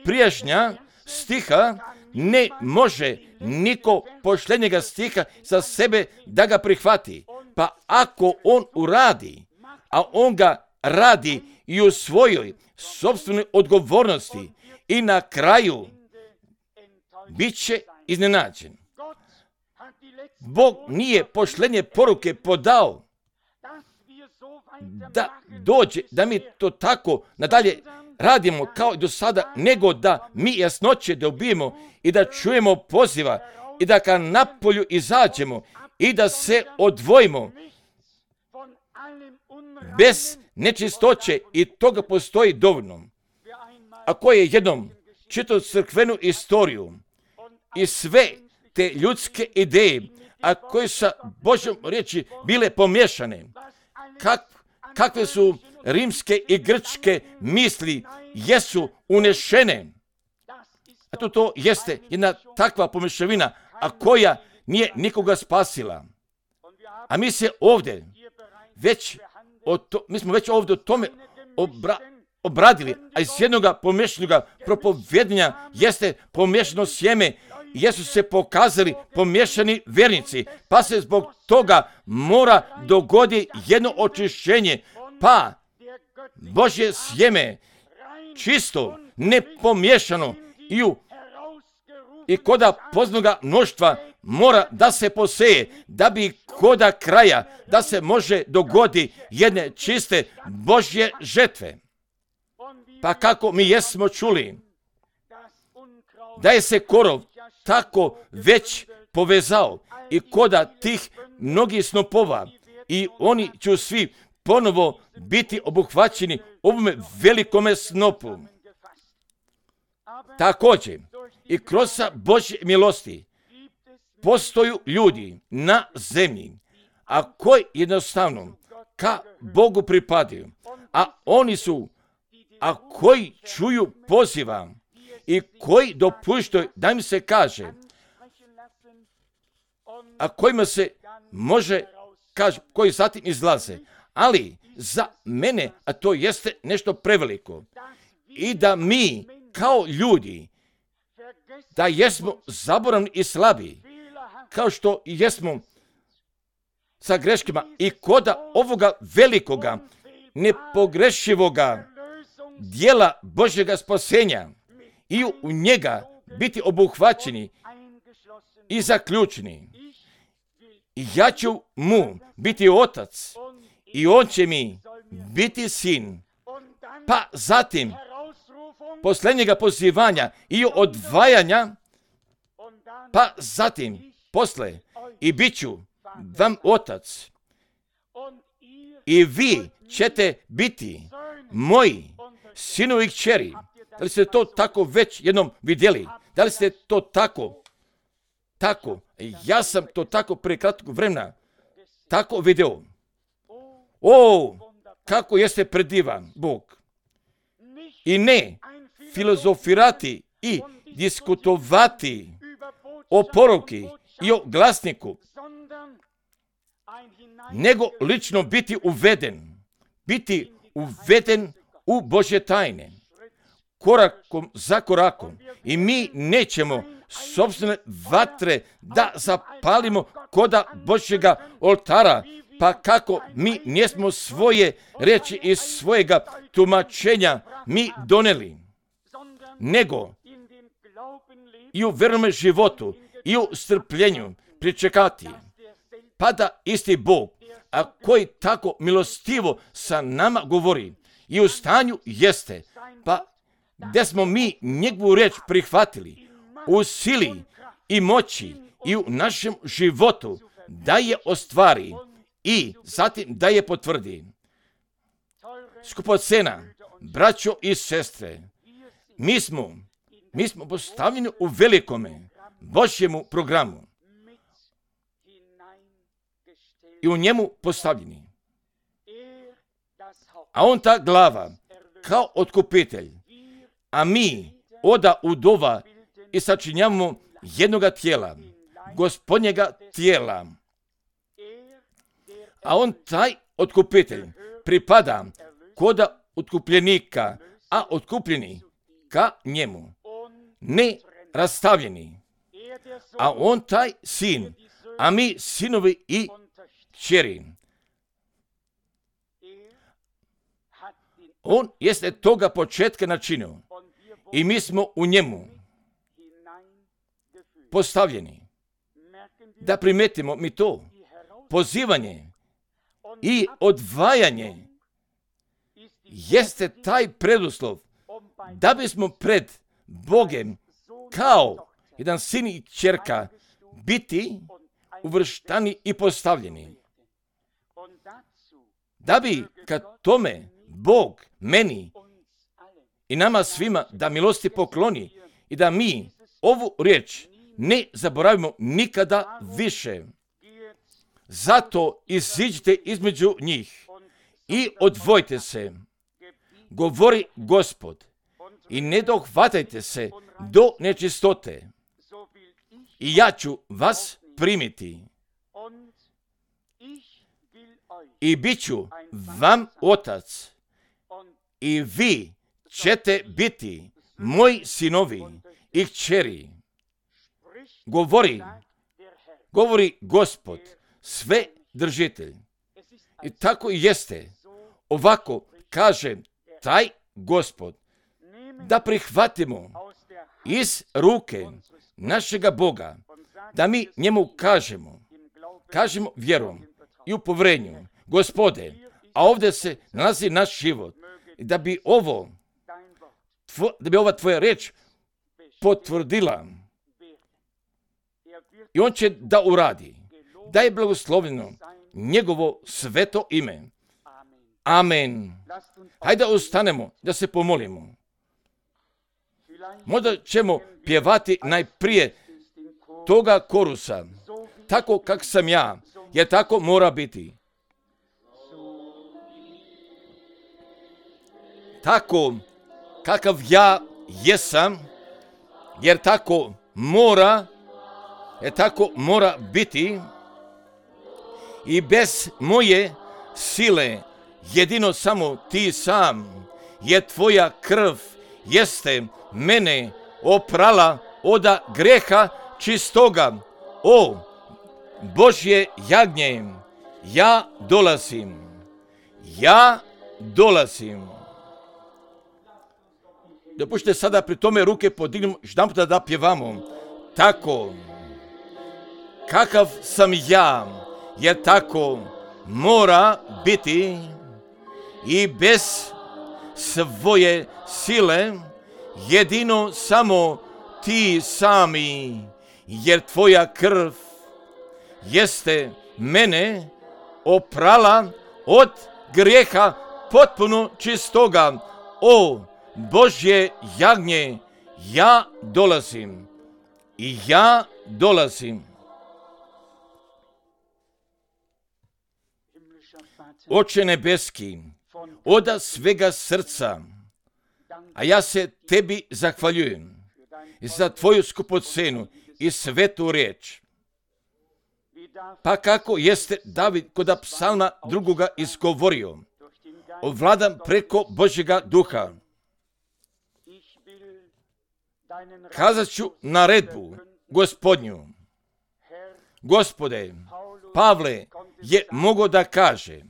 prijašnja stiha ne može niko posljednjega stiha za sebe da ga prihvati. Pa ako on uradi, a on ga radi i u svojoj sopstvenoj odgovornosti i na kraju bit će iznenađen. Bog nije pošlenje poruke podao da dođe, da mi to tako nadalje radimo kao i do sada, nego da mi jasnoće dobijemo i da čujemo poziva i da ka napolju izađemo i da se odvojimo bez nečistoće, i toga postoji dovoljno. Ako je jednom čitao crkvenu istoriju i sve te ljudske ideje, a koje su Božjom riječi bile pomiješane, kakve su rimske i grčke misli jesu unešene. A to jeste jedna takva pomješavina, a koja nije nikoga spasila. A mi se ovdje mi smo već ovdje o tome obradili, a iz jednoga pomješanoga propovjedanja jeste pomješano sjeme, jesu se pokazali pomješani vjernici, pa se zbog toga mora dogodi jedno očišćenje, pa Božje sjeme čisto, nepomješano i koda poznoga mnoštva mora da se poseje, da bi koda kraja da se može dogodi jedne čiste Božje žetve. Pa kako mi jesmo čuli da je se korov tako već povezao i koda tih mnogih snopova, i oni će svi ponovo biti obuhvaćeni ovome velikome snopu. Također i kroz Božje milosti postoju ljudi na zemlji, a koji jednostavno ka Bogu pripadaju, a koji čuju poziva i koji dopuštaju da im se kaže, a kojima se može kaže, koji zatim izlaze. Ali za mene, a to jeste nešto preveliko, i da mi kao ljudi, da jesmo zaboravni i slabi, kao što i jesmo sa greškama, i koda ovoga velikoga, nepogrešivoga dijela Božjega spasenja i u njega biti obuhvaćeni i zaključeni. I ja ću mu biti otac i on će mi biti sin. Pa zatim posljednjega pozivanja i odvajanja, pa zatim posle i bit ću vam otac i vi ćete biti moji sinovi i kćeri. Da li ste to tako već jednom vidjeli? Da li ste to tako? Ja sam to tako prije kratkog vremena tako vidio. Kako jeste predivan Bog. I ne filozofirati i diskutovati o poruki i o glasniku, nego lično biti uveden u Božje tajne, korakom za korakom. I mi nećemo sopstvene vatre da zapalimo koda Božjega oltara, pa kako mi nismo svoje riječi iz svojega tumačenja mi doneli, nego i u vjernome životu i u strpljenju pričekati, pa da isti Bog, a koji tako milostivo sa nama govori i u stanju jeste, pa gdje smo mi njegovu riječ prihvatili u sili i moći i u našem životu, da je ostvari i zatim da je potvrdi. Skupocena, braćo i sestre, mi smo postavljeni u velikome Božjemu programu i u njemu postavljeni. A on ta glava kao otkupitelj, a mi oda udova i sačinjavamo jednoga tijela, Gospodnjega tijela. A on taj otkupitelj pripada koda otkupljenika, a otkupljeni ka njemu, ne rastavljeni. A on taj sin, a mi sinovi i kćeri. On jeste toga početka načinio i mi smo u njemu postavljeni. Da primetimo mi to, pozivanje i odvajanje jeste taj preduslov da bismo pred Bogem kao jedan sin i kćerka biti uvrštani i postavljeni. Da bi kad tome Bog meni i nama svima da milosti pokloni i da mi ovu riječ ne zaboravimo nikada više. Zato iziđite između njih i odvojite se, govori Gospod, i ne dohvatajte se do nečistote. I ja ću vas primiti i bit ću vam otac i vi ćete biti moji sinovi i kćeri. Govori Gospod, sve držitelj. I tako i jeste. Ovako kaže taj Gospod, da prihvatimo iz ruke našega Boga, da mi njemu kažemo vjerom i u povjerenju, Gospode, a ovdje se nalazi naš život, da bi ova tvoja riječ potvrdila. I on će da uradi. Da je blagoslovljeno njegovo sveto ime. Amen. Hajde ustanemo da se pomolimo. Možda ćemo pjevati najprije toga korusa. Tako kak sam ja, jer tako mora biti. Tako kakav ja jesam, jer tako mora biti i bez moje sile, jedino samo ti sam, jer tvoja krv jeste mene oprala od greha čistoga. O Božje jagnje, ja dolazim. Dopušte sada pri tome ruke podignemo, jedanputa da pjevamo. Tako, kakav sam ja, jer tako mora biti i bez svoje sile, jedino samo ti sami, jer tvoja krv jeste mene oprala od grijeha potpuno čistoga. O Božje jagnje, ja dolazim. Oče nebeski, od svega srca, a ja se tebi zahvaljujem za tvoju skupocenu i svetu riječ. Pa kako jeste David kod psalma drugoga izgovorio, ovladam preko Božjega duha. Kazat ću naredbu Gospodnju. Gospode, Pavle je mogao da kaže,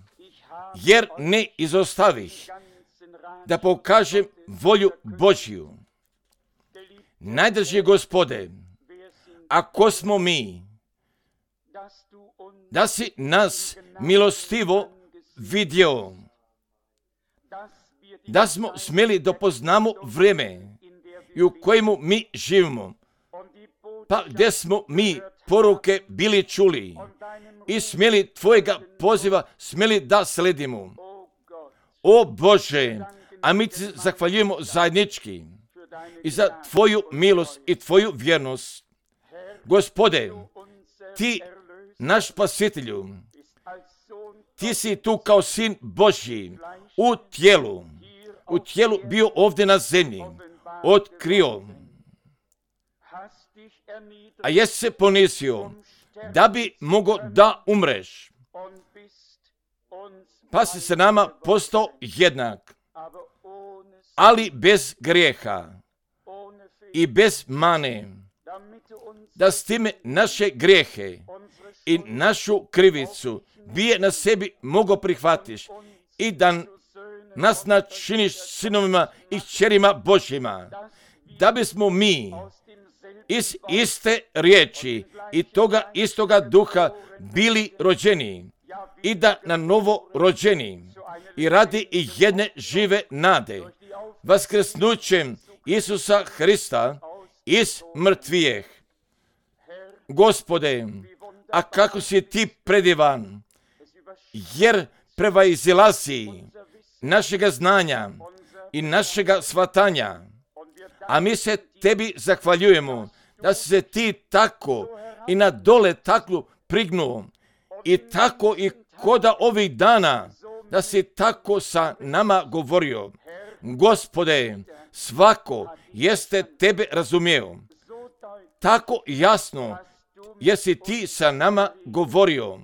jer ne izostavih da pokažem volju Božju. Najdraži Gospode, ako smo mi, da si nas milostivo vidio, da smo smjeli da poznamo vrijeme i u kojemu mi živimo, pa gdje smo mi poruke bili čuli i smjeli tvojega poziva smjeli da sledimo. O Bože, a mi ti zahvaljujemo zajednički i za tvoju milost i tvoju vjernost. Gospode, ti naš spasitelju, ti si tu kao sin Božji u tijelu bio ovdje na zemlji, otkrio, a jesi se ponizio da bi mogao da umreš, pa si se nama postao jednak, ali bez grijeha i bez mane, da s time naše grijehe i našu krivicu bije na sebi mogo prihvatiš i da nas načiniš sinovima i kćerima Božjima, da bismo mi iz iste riječi i toga istoga duha bili rođeni i da na novo rođeni i radi i jedne žive nade, vaskrsnućem Isusa Hrista iz mrtvijeh. Gospode, a kako si ti predivan, jer prevazilazi našega znanja i našega shvatanja, a mi se tebi zahvaljujemo da si se ti tako i na dole taklu prignuo i tako i koda ovih dana da si tako sa nama govorio. Gospode, svako jeste tebe razumio. Tako jasno jesi ti sa nama govorio,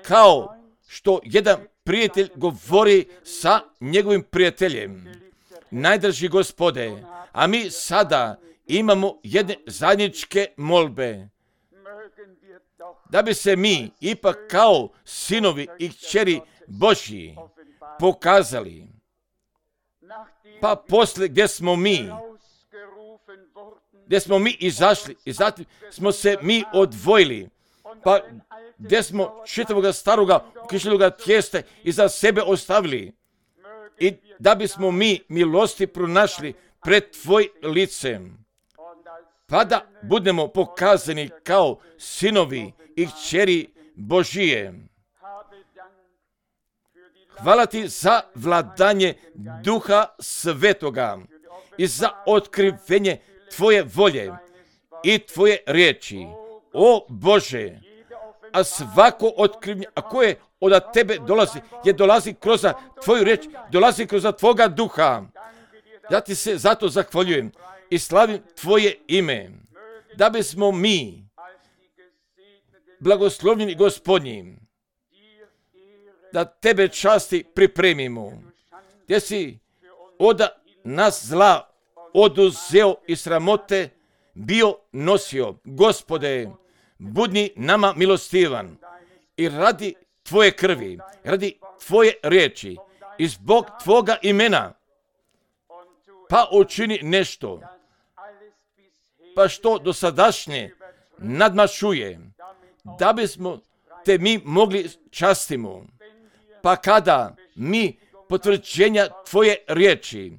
kao što jedan prijatelj govori sa njegovim prijateljem. Najdraži Gospode, a mi sada imamo jedne zajedničke molbe, da bi se mi ipak kao sinovi i kćeri Božji pokazali. Pa poslije gdje smo mi izašli i zatim smo se mi odvojili, pa gdje smo čitavoga staroga kišljivoga tijesta iza sebe ostavili i da bismo mi milosti pronašli pred tvoj licem, pa da budemo pokazani kao sinovi i kćeri Božije. Hvala ti za vladanje Duha Svetoga i za otkrivenje tvoje volje i tvoje riječi. O Bože, a svako otkrivenje, a koje od tebe dolazi, je dolazi kroz tvoju riječ, dolazi kroz tvoga duha. Ja ti se zato zahvaljujem i slavim tvoje ime, da bismo mi, blagoslovljeni Gospodnji, da tebe časti pripremimo, gdje si od nas zla oduzeo i sramote bio nosio. Gospode, budni nama milostivan i radi tvoje krvi, radi tvoje riječi i zbog tvoga imena, pa učini nešto, pa što dosadašnje nadmašuje, da bismo te mi mogli častimo. Pa kada mi potvrđenja tvoje riječi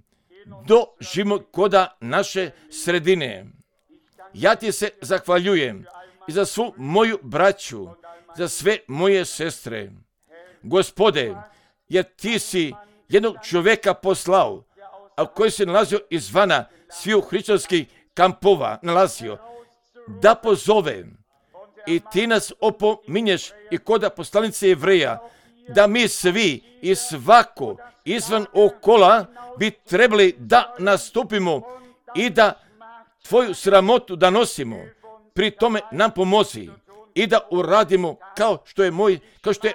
doživimo koda naše sredine, ja ti se zahvaljujem i za svu moju braću, za sve moje sestre. Gospode, jer ti si jednog čovjeka poslao, a koji se nalazio izvana sviju hrišćanskih kampova, nalazio, da pozove i ti nas opominješ i koda poslanice Jevreja, da mi svi i svako izvan okola bi trebali da nastupimo i da tvoju sramotu da nosimo. Pri tome nam pomozi i da uradimo kao što je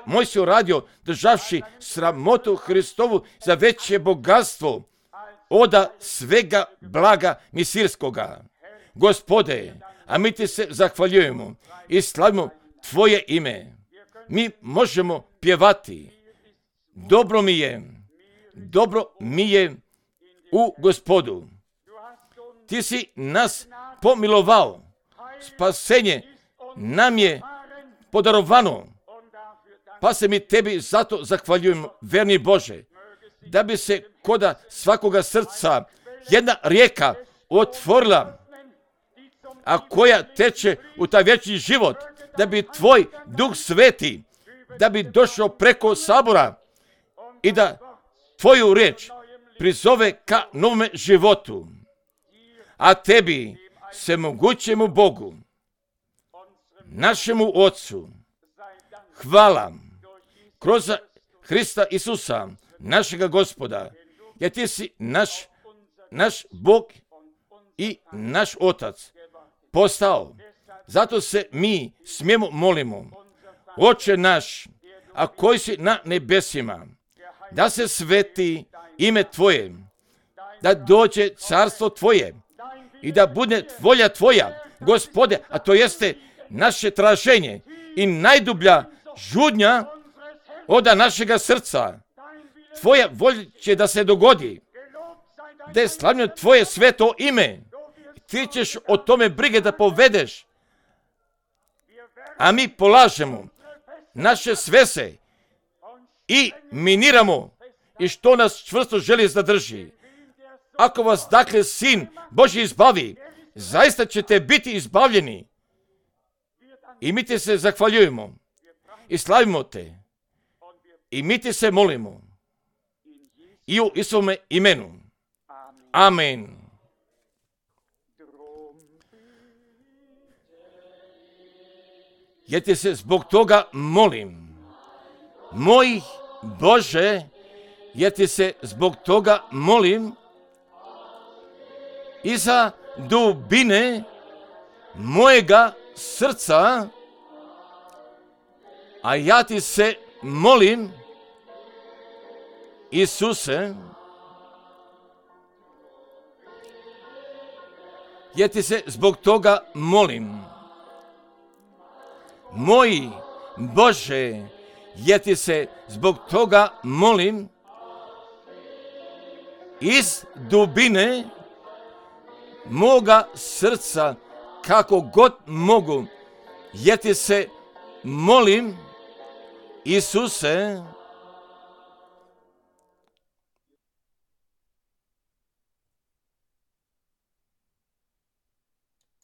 Mojsije uradio, državši sramotu Hristovu za veće bogatstvo oda svega blaga misirskoga. Gospode, a mi ti se zahvaljujemo i slavimo tvoje ime. Mi možemo pjevati. Dobro mi je u Gospodu. Ti si nas pomilovao. Spasenje nam je podarovano. Pa se mi tebi zato zahvaljujemo, verni Bože, da bi se koda svakoga srca jedna rijeka otvorila, a koja teče u taj vječni život, da bi tvoj Duh Sveti, da bi došao preko sabora i da tvoju riječ prizove ka novome životu. A tebi, svemogućemu Bogu, našemu Otcu, hvala kroz Hrista Isusa, našega Gospoda, jer ti si naš Bog i naš Otac postao. Zato se mi smijemo molimo, Oče naš, a koji si na nebesima, da se sveti ime tvoje, da dođe carstvo tvoje i da bude volja tvoja, Gospode, a to jeste naše traženje i najdublja žudnja oda našega srca. tvoja volja će da se dogodi, da je slavljeno tvoje sveto ime. Ti ćeš o tome brige da povedeš, a mi polažemo naše svese i miniramo i što nas čvrsto želi zadrži. Ako vas dakle Sin Božji izbavi, zaista ćete biti izbavljeni. I mi ti se zahvaljujemo i slavimo te. I mi ti se molimo. I u Isovome imenu. Amen. Ja ti se zbog toga molim. Moj Bože, ja ti se zbog toga molim iza dubine mojega srca, a ja ti se molim, Isuse, ja ti se zbog toga molim. Moj Bože, ja ti se zbog toga molim, iz dubine moga srca, kako god mogu, ja ti se molim, Isuse,